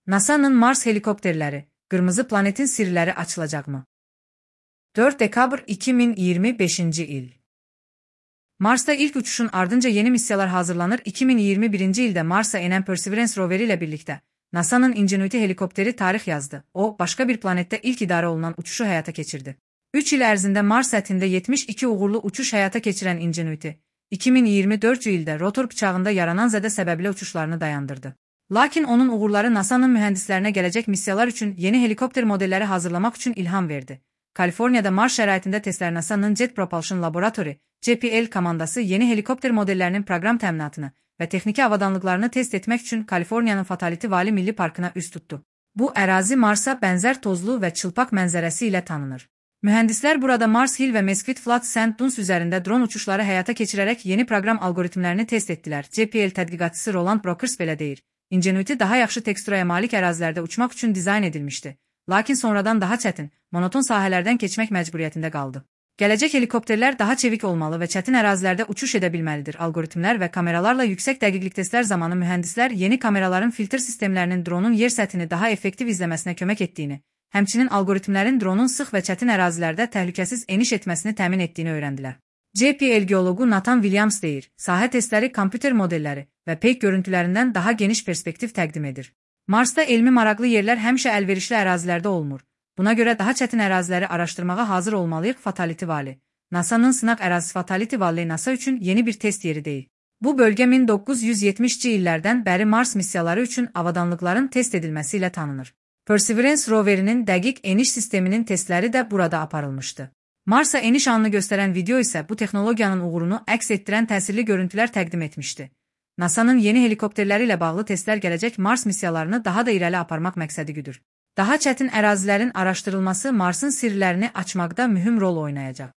NASA'nın Mars helikopterleri, Qırmızı planetin sirləri açılacaqmı? 4 dekabr 2025 il. Mars'ta ilk uçuşun ardınca yeni missiyalar hazırlanır. 2021 ildə Mars'a enen Perseverance roveri ilə birlikdə NASA'nın Ingenuity helikopteri tarix yazdı. O, başqa bir planetdə ilk idarə olunan uçuşu həyata keçirdi. 3 il ərzində Mars səthində 72 uğurlu uçuş həyata keçirən Ingenuity, 2024 ildə rotor bıçağında yaranan zədə səbəbilə uçuşlarını dayandırdı. Lakin onun uğurları NASA'nın mühəndislərinə gələcək missiyalar üçün yeni helikopter modelləri hazırlamaq üçün ilham verdi. Kaliforniyada Mars şəraitində testlər NASA'nın Jet Propulsion Laboratory, JPL komandası yeni helikopter modellərinin proqram təminatını və texniki avadanlıqlarını test etmək üçün Kaliforniyanın Fatality Valley Milli Parkına üz tutdu. Bu ərazi Marsa bənzər tozlu və çılpaq mənzərəsi ilə tanınır. Mühəndislər burada Mars Hill və Mesquite Flats Sand Dunes üzərində dron uçuşları həyata keçirərək yeni proqram alqoritmlərini test etdilər. JPL tədqiqatçısı Roland Brokers belə deyir. Ingenuity daha yaxşı teksturaya malik ərazilərdə uçmaq üçün dizayn edilmişdi. Lakin sonradan daha çətin, monoton sahələrdən keçmək məcburiyyətində qaldı. Gələcək helikopterlər daha çevik olmalı və çətin ərazilərdə uçuş edə bilməlidir. Alqoritmlər və kameralarla yüksək dəqiqlik testlər zamanı mühəndislər yeni kameraların filtr sistemlərinin dronun yer səthini daha effektiv izləməsinə kömək etdiyini, həmçinin alqoritmlərin dronun sıx və çətin ərazilərdə təhlükəsiz eniş etməsini təmin etdiyini öyrəndilər. JPL geologu Nathan Williams deyir, sahə testləri kompüter modelləri və peyk görüntülərindən daha geniş perspektiv təqdim edir. Marsda elmi maraqlı yerlər həmişə əlverişli ərazilərdə olmur. Buna görə daha çətin əraziləri araşdırmağa hazır olmalıyıq. Fatality Valley. NASA'nın sınaq ərazisi Fatality Valley NASA üçün yeni bir test yeri deyil. Bu bölgə 1970-ci illərdən bəri Mars missiyaları üçün avadanlıqların test edilməsi ilə tanınır. Perseverance roverinin dəqiq eniş sisteminin testləri də burada aparılmışdı. Mars'a eniş anını göstərən video isə bu texnologiyanın uğurunu əks etdirən təsirli görüntülər təqdim etmişdi. NASA'nın yeni helikopterləri ilə bağlı testlər gələcək Mars missiyalarını daha da irəli aparmaq məqsədi güdür. Daha çətin ərazilərin araşdırılması Marsın sirlərini açmaqda mühüm rol oynayacaq.